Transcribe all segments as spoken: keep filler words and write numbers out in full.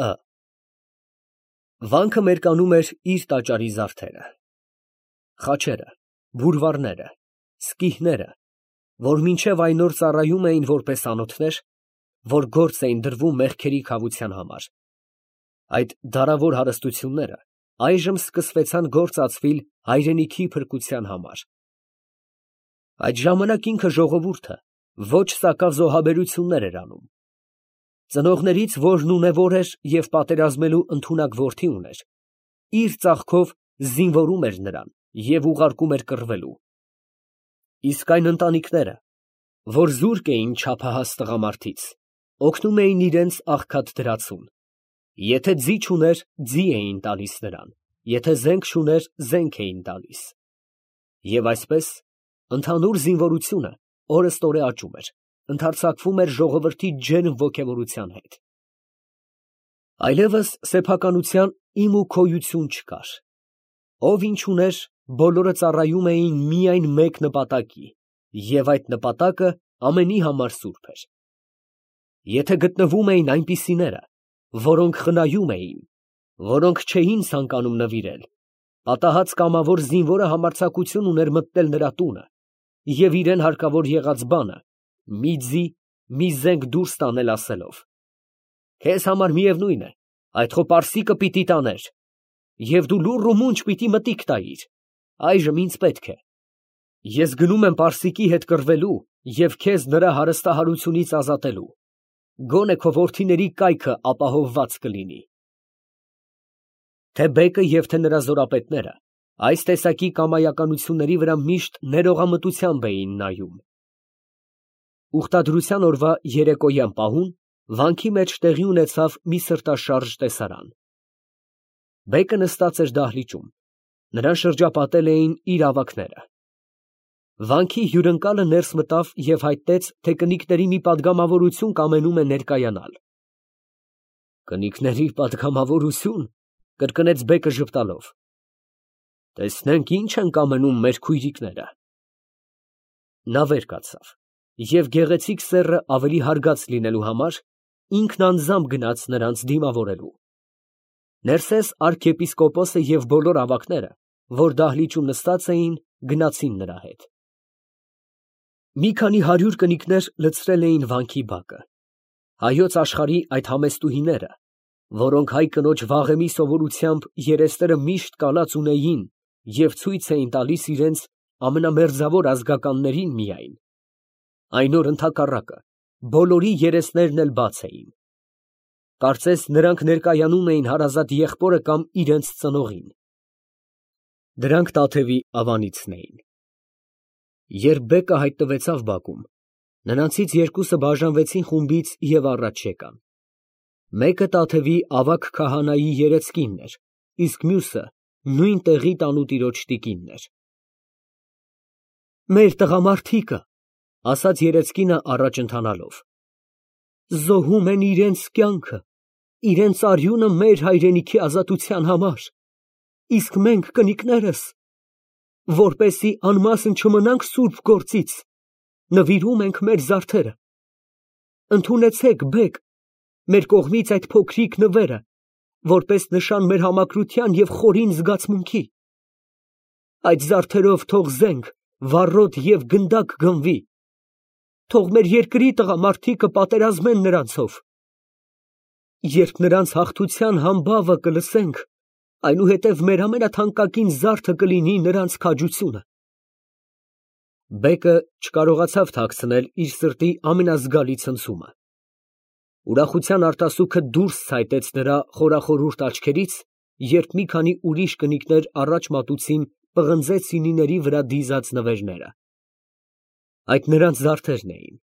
Ը Վանքը մերկանում էր իր տաճարի զարդերը, խաչերը, բուրվարները, սկիհները, որ մինչև այն օր ծառայում էին որպես անոթներ, որ գործ էին դրվում մեղքերի քավության համար. այդ դարավոր հարստությունները այժմ սկսվեցան գործ ածվիլ հայրենիքի փրկության համար։ Այդ ժամանակ ինքը ժողովուրդը ոչ սակավ զոհաբերություններ էր անում։ Ծնողներից որն ունևոր էր և պատերազմելու ընդունակ որդի ուներ, իր ծախքով զինվորում էր նրան և ուղարկում էր կռվելու։ Իսկ այն ընտանիքները, որ զուրկ էին չափահաս տղամարդից, օգնում էին իրենց աղքատ դրացուն. եթե ձի չուներ, ձի էին տալիս նրան, եթե զենք չուներ, զենք էին տալիս։ Եվ այսպես, ընդհանուր զինվորությունը օրըստօրե աճում էր, ընդարձակվում էր ժողովրդի ջերմ ոգևորության հետ։ Այլևս սեփականության իմ ու քոյություն չկար։ Ով ինչ ուներ, բոլորը ծառայում էին միայն մեկ նպատակի, և այդ նպատակը ամենի համար սուրբ էր։ Եթե գտնվում էին այնպիսիները, որոնք խնայում էին, որոնք չէին ցանկանում նվիրել, պատահած կամավոր զինվորը համարձակություն ուներ մտնել նրա տունը և իրան հարկավոր եղած բանը, մի ձի, մի զենք դուրս տանել ասելով. «Քեզ համար միևնույն է, այդ խո պարսիկը պիտի տաներ, և դու լուռ ու մունջ պիտի մտիկ տայիր, այժմ ինձ պետք է։ Ես գնում եմ պարսիկի հետ կռվելու և քեզ նրա հարստահարությունից ազատելու, գոնե քո որդիների կայքը ապահովված կլինի»։ Թե բեկը և թե նրա զորապետները այս տեսակի կամայականությունների վրա միշտ ներողամտությամբ էին նայում։ Ուխտադրության օրվա երեկոյան պահուն վանքի մեջ տեղի ունեցավ մի սրտաշարժ տեսարան։ Բեկը նստած էր դահլիճում, նրան շրջապատել էին իր ավագները։ Վանքի հյուրընկալը ներս մտավ և հայտնեց, թե կնիկների մի պատգամավորություն կամենում է ներկայանալ։ «Կնիկների պատգամավորություն», կրկնեց բեկը ժպտալով, «տեսնենք ինչ են կամենում մեր քույրիկները»։ Նա վեր կացավ և գեղեցիկ սեռը ավելի հարգած լինելու համար, ինքն անձամբ գնաց նրանց դիմավորելու։ Ներսես արքեպիսկոպոսը և բոլոր ավագները, որ դահլիճում նստած էին, գնացին նրա հետ։ Մի քանի հարյուր կնիկներ լցրել էին վանքի բակը։ Հայոց աշխարհի այդ համեստուհիները, որոնք հայ կնոջ վաղեմի սովորությամբ երեսները միշտ կալած ունեին և ցույց էին տալիս իրենց ամենամերձավոր ազգականներին միայն, այն օր ընդհակառակը, բոլորի երեսներն էլ բաց էին։ Կարծես նրանք ներկայանում էին հարազատ եղբորը կամ իրենց ծնողին։ Դրանք Տաթևի ավանիցն էին։ Երբ բեկը հայտնվեցավ բակում, նրանցից երկուսը բաժանվեցին խումբից և առաջ եկան։ Մեկը Տաթևի ավագ քահանայի երեծկինն էր, իսկ մյուսը նույն տեղի տանուտիրոջ տիկինն էր։ «Մեր տղամարդիկը, ֊ ասաց երեծկինը առաջ ընթանալով, ֊ զոհում են իրանց կյանքը, իրանց արյունը մեր հայրենիքի ազատության համար, իսկ մենք կնիկներս, որպեսզի անմասն չմնանք սուրբ գործից, նվիրում ենք մեր զարդերը։ Ընդունեցեք, բեկ, մեր կողմից այդ փոքրիկ նվերը, որպես նշան մեր համակրության և խորին զգացմունքի։ Այդ զարդերով թող զենք, վառոդ և գնդակ գնվի, թող մեր երկրի տղամարդիկը պատերազմեն նրանցով։ Երբ նրանց հաղթության համբավը կլսենք, այնուհետև մեր ամենաթանկագին զարդը կլինի նրանց քաջությունը»։ Բեկը չկարողացավ թաքցնել իր սրտի ամենազգալի ցնցումը։ Ուրախության արտասուքը դուրս ցայտեց նրա խորախորհուրդ աչքերից, երբ մի քանի ուրիշ կնիկներ առաջ մատուցին պղնձե սյունիների վրա դիզած նվերները։ Այդ նրանց զարդերն էին։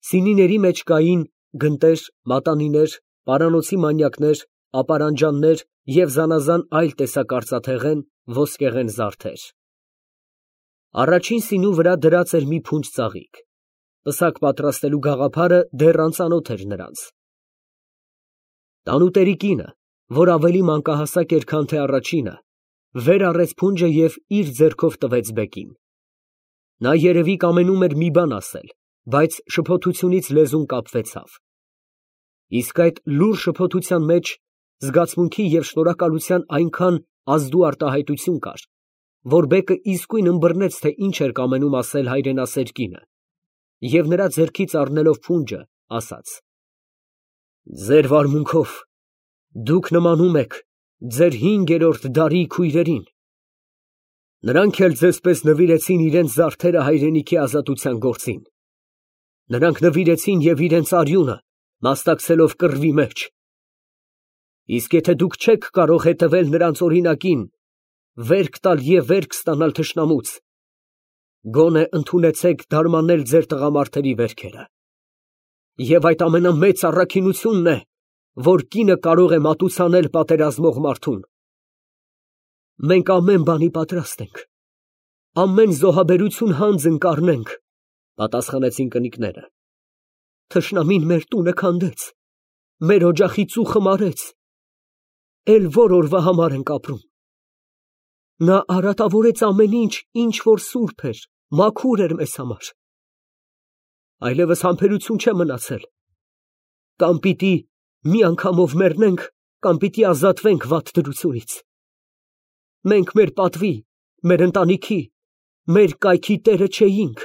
Սյունիների մեջ կային գնտեր, մատանիներ, պարանոցի մանյակներ, ապարանջաններ և զանազան այլ տեսակ արծաթեղեն, ոսկեղեն զարդեր։ Առաջին սյունու վրա դրած էր մի փունջ ծաղիկ։ Պսակ պատրաստելու գաղափարը դեռ անծանոթ էր նրանց։ Տանուտերի կինը, որ ավելի մանկահասակ էր, քան թե առաջինը, վեր առեց փունջը և իր ձեռքով տվեց բեկին։ Նա երևի կամենում էր մի բան ասել, բայց շփոթությունից լեզուն կապվեցավ։ Իսկ այդ լուր շփոթության մեջ զգացմունքի և շնորհակալության այնքան ազդու արտահայտություն կար, որ բեկը իսկույն ըմբռնեց, թե ինչ էր կամենում ասել հայրենասեր կինը, և նրա ձեռքից առնելով փունջը, ասաց. «Ձեր վարմունքով դուք նմանում եք ձեր հինգերորդ դարի քույրերին. նրանք էլ ձեզպես նվիրեցին իրենց զարդերը հայրենիքի ազատության գործին. նրանք նվիրեցին և իրենց արյունը, մասնակցելով կռվի մեջ. իսկ եթե դուք չեք կարող հետևել նրանց օրինակին, վերք տալ և վերք ստանալ թշնամուց, գոնե ընդունեցեք դարմանել ձեր տղամարդերի վերքերը. և այդ ամենամեծ առաքինությունն է, որ կինը կարող է մատուցանել պատերազմող մարդուն։ Մենք ամեն բանի պատրաստ ենք, ամեն զոհաբերություն հանձն կառնենք, պատասխանեցին կնիկները։ Թշնամին մեր տունը քանդեց, մեր օջախի ծուխը մարեց, էլ որ օրվա համար ենք ապրում։ Նա արատավորեց ամեն ինչ, ինչ որ սուրբ էր, մաքուր էր մեզ համար։ Այլևս համբերություն չէ մնացել, կամ պիտի մի անգամով մեռնենք, կամ պիտի ազատվենք վատ դրությունից։ Մենք մեր պատվի, մեր ընտանիքի, մեր կայքի տերը չէինք։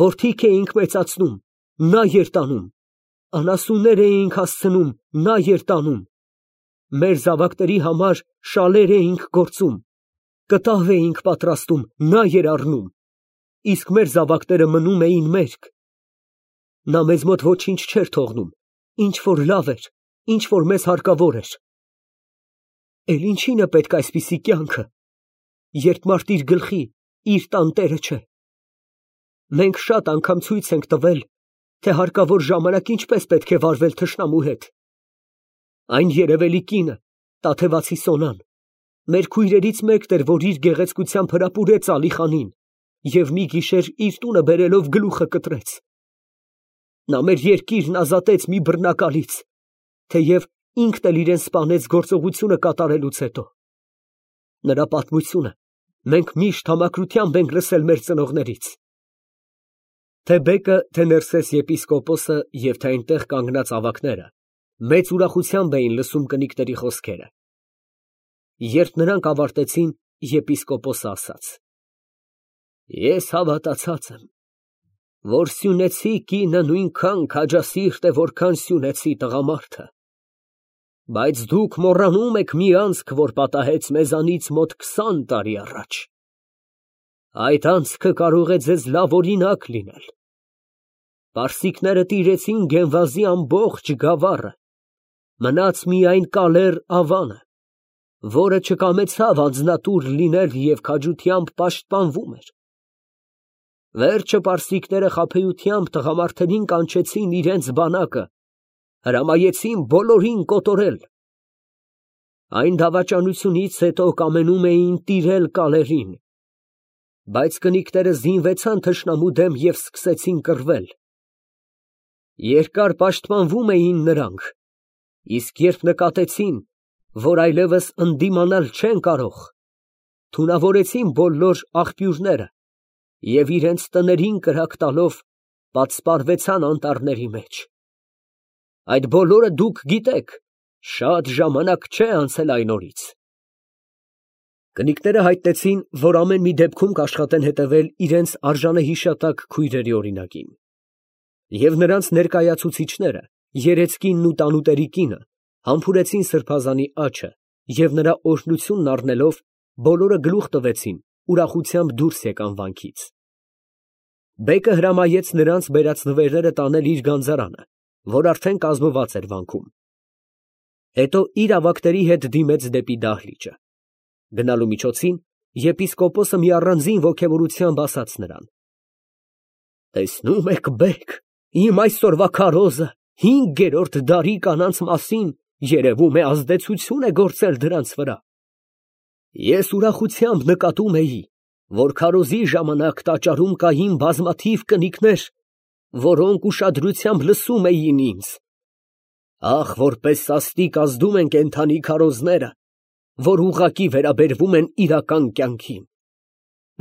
Որդիք էինք մեծացնում, նա էր տանում, անասուններ էինք հասցնում, նա էր տանում, մեր զավակների համար շալեր էինք գործում, կտավ էինք պատրաստում, նա էր առնում, իսկ մեր զավակները մնում էին մերկ։ Նա մեզ մոտ ոչինչ չէր թողնում, ինչ որ լավ էր, ինչ որ մեզ հարկավոր էր։ Էլ ինչին է պետք այսպիսի կյանքը, երբ մարդ իր գլխի, իր տան տերը չէ։ Մենք շատ անգամ ցույց ենք տվել, թե հարկավոր ժամանակ ինչպես պետք է վարվել թշնամու հետ։ Այն երևելի կինը, Տաթևացի Սոնան, մեր քույրերից մեկն էր, որ իր գեղեցկությամբ հրապուրեց Ալիխանին և մի գիշեր իր տունը բերելով գլուխը կտրեց։ Նա մեր երկիրն ազատեց մի բռնակալից, թեև ինքն էլ իրեն սպանեց գործողությունը կատարելուց հետո։ Նրա պատմությունը մենք միշտ համակրությամբ ենք լսել մեր ծնողներից։ Թե բեկը, թե Ներսես եպիսկոպոսը և թե այնտեղ կանգնած ավագները մեծ ուրախությամբ էին լսում կնիկների խոսքերը։ Երբ նրանք ավարտեցին, եպիսկոպոսը ասաց. Ես հավատացած եմ, որ սյունեցի կինը նույնքան քաջասիրտ է, որքան սյունեցի տղամարդը, բայց դուք մոռանում եք մի անցք, որ պատահեց մեզանից մոտ քսան տարի առաջ։ Այդ անցքը կարող է ձեզ լավ օրինակ լինել։ Պարսիկները տիրեցին Գենվազի ամբողջ գավառը, մնաց միայն Կալեր Ավանը, որը չկամեցավ անձնատուր լինել և քաջությամբ պաշտպանվում էր։ Վերջը պարսիկները խաբեությամբ տղամարդերին կանչեցին իրենց բանակը, հրամայեցին բոլորին կոտորել։ Այն դավաճանությունից հետո կամենում էին տիրել Կալերին, բայց կնիկները զինվեցան թշնամու դեմ և սկսեցին կռվել։ Երկար պաշտպանվում էին նրանք, իսկ երբ նկատեցին, որ այլևս ընդդիմանալ չեն կարող, թունավորեցին բոլոր աղբյուրները և իրենց տներին կրակ տալով պատսպարվեցան անտառների մեջ։ Այդ բոլորը դուք գիտեք, շատ ժամանակ չէ անցել այն օրից։ Կնիկները հայտնեցին, որ ամեն մի դեպքում կաշխատեն հետևել իրենց արժանահիշատակ քույրերի օրինակին։ Եվ նրանց ներկայացուցիչները, Երեցկինն ու տանուտերի կինը, համբուրեցին սրբազանի աջը և նրա օրհնությունն առնելով, բոլորը գլուխ տվեցին, ուրախությամբ դուրս եկան վանքից։ Բեկը հրամայեց նրանց բերած նվերները տանել իր գանձարանը, որ արդեն կազմված էր վանքում։ Հետո իր ավագների հետ դիմեց դեպի դահլիճը։ Գնալու միջոցին եպիսկոպոսը մի առանձին ոգևորությամբ ասաց նրան. Տեսնում եք, բեկ, իմ այսօրվա քարոզը հինգերորդ դարի կանանց մասին երևում է ազդեցություն է գործել դրանց վրա։ Ես ուրախությամբ նկատում էի, որ քարոզի ժամանակ տաճարում կային բազմաթիվ կնիկներ, որոնք ուշադրությամբ լսում էին ինձ։ Ախ, որպես սաստիկ ազդում են կենդանի քարոզները, որ ուղղակի վերաբերվում են իրական կյանքին։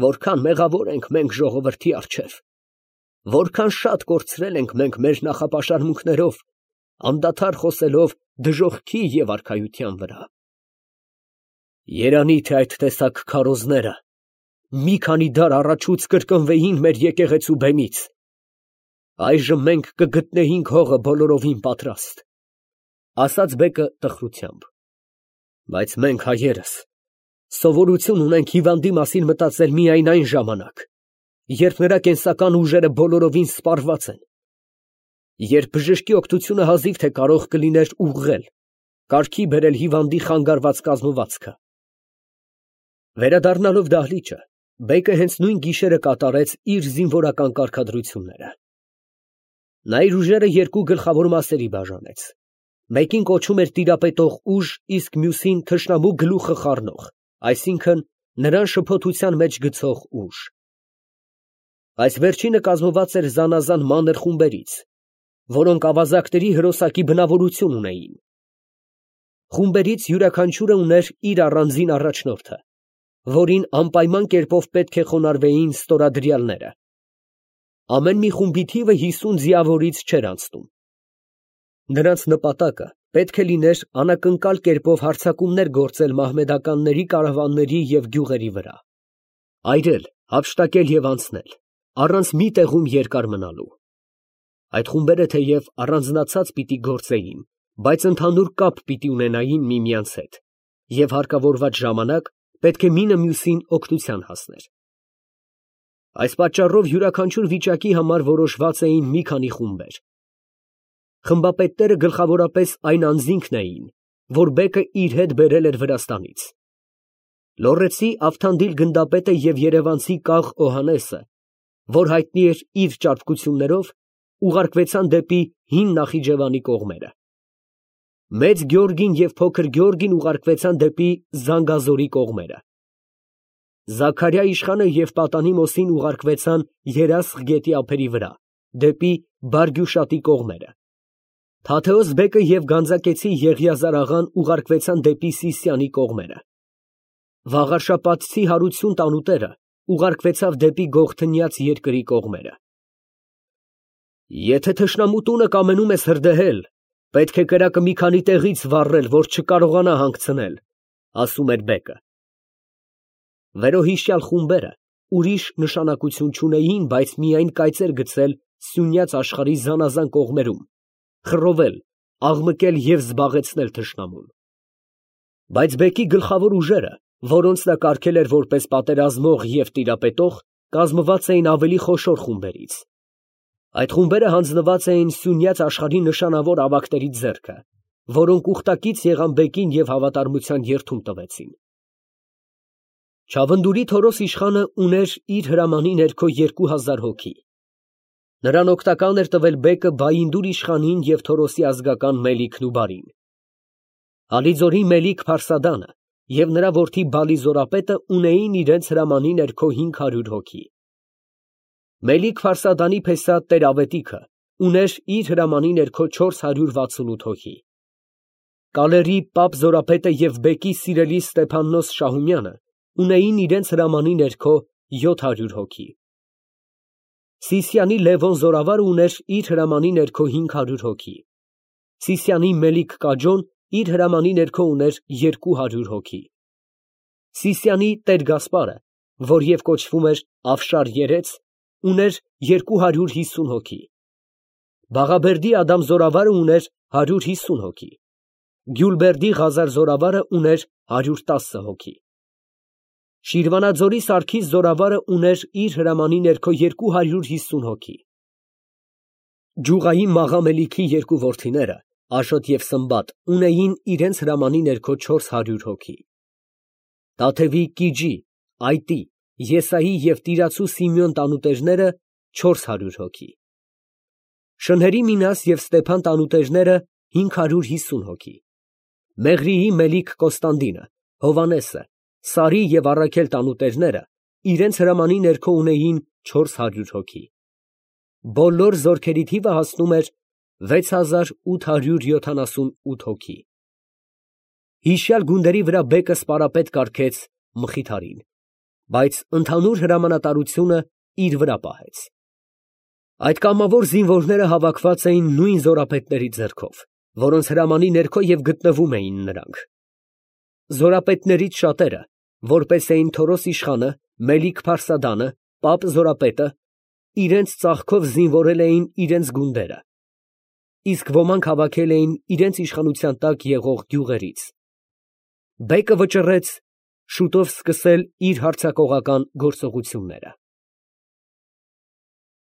Որքան մեղավոր ենք մենք ժողովրդի առջև, որքան շատ կորցրել ենք մենք մեր նախապաշարմունքներով, անդադար խոսելով դժոխքի և արքայության վրա։ Երանի թե այդ տեսակ քարոզները մի քանի դար առաջուց կրկնվեին մեր եկեղեցու բեմից, այժմ մենք կգտնեինք հողը բոլորովին պատրաստ, ֊ ասաց բեկը տխրությամբ, ֊ բայց մենք հայերս սովորություն ունենք հիվանդի մասին մտածել միայն այն ժամանակ, երբ նրա կենսական ուժերը բոլորովին սպառված են, երբ բժշկի օգնությունը հազիվ թե կարող կլիներ ուղղել, կարգի բերել հիվանդի խանգարված կազմվածքը։ Վերադառնալով դահլիճը, բեկը հենց նույն գիշերը կատարեց իր զինվորական կարգադրությունները։ Նա իր ուժերը երկու գլխավոր մասերի բաժանեց. մեկին կոչում էր տիրապետող ուժ, իսկ մյուսին թշնամու գլուխը խառնող, այսինքն նրան շփոթության մեջ գցող ուժ։ Այս վերջինը կազմված էր զանազան մանր խումբերից, որոնք ավազակների հրոսակի բնավորություն ունեին։ Խումբերից յուրաքանչյուրը ուներ իր առանձին առաջնորդը, որին անպայման կերպով պետք է խոնարհվեին ստորադրյալները։ Ամեն մի խումբի թիվը հիսուն ձիավորից չէր անցնում։ Նրանց նպատակը պետք է լիներ անակնկալ կերպով հարձակումներ գործել մահմեդականների կարավանների և գյուղերի վրա, այրել, հափշտակել և անցնել, առանց մի տեղում երկար մնալու։ Այդ խումբերը թեև առանձնացած պիտի գործեին, բայց ընդհանուր կապ պիտի ունենային միմյանց հետ, և հարկավորված ժամանակ պետք է մինը մյուսին օգնության հասներ։ Այս պատճառով յուրաքանչյուր վիճակի համար որոշված էին մի քանի խումբեր։ Խմբապետները գլխավորապես այն անձինքն էին, որ բեկը իր հետ բերել էր Վրաստանից։ Լոռեցի Ավթանդիլ գնդապետը և երևանցի կաղ Օհաննեսը, որ հայտնի էր իր ճարպկություններով, ուղարկվեցան դեպի հին Նախիջևանի կողմերը։ Մեծ Գեորգին և փոքր Գեորգին ուղարկվեցան դեպի Զանգազորի կողմերը։ Զաքարյա իշխանը և պատանի Մոսին ուղարկվեցան Երասխ գետի ափերի վրա, դեպի Բարգյուշատի կողմերը։ Թաթեոս բեկը և գանձակեցի Եղիազար աղան ուղարկվեցան դեպի Սիսիանի կողմերը։ Վաղարշապատցի Հարություն տանուտերը ուղարկվեցավ դեպի Գողթնյաց երկրի կողմերը։ Եթե թշնամու տունը կամենում ես հրդեհել, պետք է կրակը մի քանի տեղից վառել, որ չկարողանա հանգցնել, ֊ ասում էր բեկը։ Վերոհիշյալ խումբերը ուրիշ նշանակություն չունեին, բայց միայն կայծեր գցել Սյունյաց աշխարհի զանազան կողմերում, խռովել, աղմկել և զբաղեցնել թշնամուն։ Բայց բեկի գլխավոր ուժերը, որոնց նա կարգել էր որպես պատերազմող և տիրապետող, կազմված էին ավելի խոշոր խումբերից։ Այդ խումբերը հանձնված էին Սյունյաց աշխարհի նշանավոր ավագների ձեռքը, որոնք ուխտակից եղան բեկին և հավատարմության երդում տվեցին։ Չավնդուրի Թորոս իշխանը ուներ իր հրամանի ներքո երկու հազար հոգի։ Նրան օգտական էր տվել բեկը Բայինդուր իշխանին և Թորոսի ազգական Մելիքն ու բարին։ Ալիձորի Մելիք Փարսադանը և նրա որդի Բալի Զորապետը ունեին իրենց հրամանի ներքո հինգ հարյուր հոգի։ Մելիք Փարսադանի փեսա Տեր֊Ավետիքը ուներ իր հրամանի ներքո չորս հարյուր վաթսունութ հոգի։ Կալերի Պապ Զորապետը և բեկի սիրելի Ստեփաննոս Շահումյանը ունեին իրենց հրամանի ներքո յոթ հարյուր հոգի։ Սիսիանի Լևոն Զորավարը ուներ իր հրամանի ներքո հինգ հարյուր հոգի։ Սիսիանի Մելիք Կաջոն իր հրամանի ներքո ուներ երկու հարյուր հոգի։ Սիսիանի Տեր Գասպարը, որ և կոչվում էր Աֆշար երեց, ուներ երկու հարյուր հիսուն հոգի։ Բաղաբերդի Ադամ Զորավարը ուներ հարյուր հիսուն հոգի։ Գյուլբերդի Ղազար Զորավարը ուներ հարյուր տասը հոգի։ Շիրվանաձորի Սարգիս Զորավարը ուներ իր հրամանի ներքո երկու հարյուր հիսուն հոգի։ Ջուղայի Մաղա Մելիքի երկու որդիները, Աշոտ և Սմբատ, ունեին իրենց հրամանի ներքո չորս հարյուր հոգի։ Տաթևի Կիջի, Այտի, Եսայի և Տիրացու Սիմեոն տանուտերները չորս հարյուր հոգի։ Շնհերի Մինաս և Ստեփան տանուտերները հինգ հարյուր հիսուն հոգի։ Մեղրիի Մելիք Կոստանդինը, Հովանեսը, Սարի և Առաքել տանուտերները իրենց հրամանի ներքո ունեին չորս հարյուր հոգի։ Բոլոր զորքերի թիվը հասնում էր վեց հազար ութ հարյուր յոթանասունութ հոգի։ Հիշյալ գունդերի վրա բեկը սպարապետ կարգեց Մխիթարին, բայց ընդհանուր հրամանատարությունը իր վրա պահեց։ Այդ կամավոր զինվորները հավաքված էին նույն զորապետների ձեռքով։ որոնց հրամանի ներքո և գտնվում էին նրանք։ Զորապետներից շատերը, որպես էին Թորոս իշխանը, Մելիք փարսադանը, Պապ Զորապետը, իրենց ծախքով զինվորել էին իրենց գունդերը, իսկ ոմանք հավաքել էին իրենց իշխանության տակ եղող գյուղերից։ Բեկը վճռեց շուտով սկսել իր հարձակողական գործողությունները։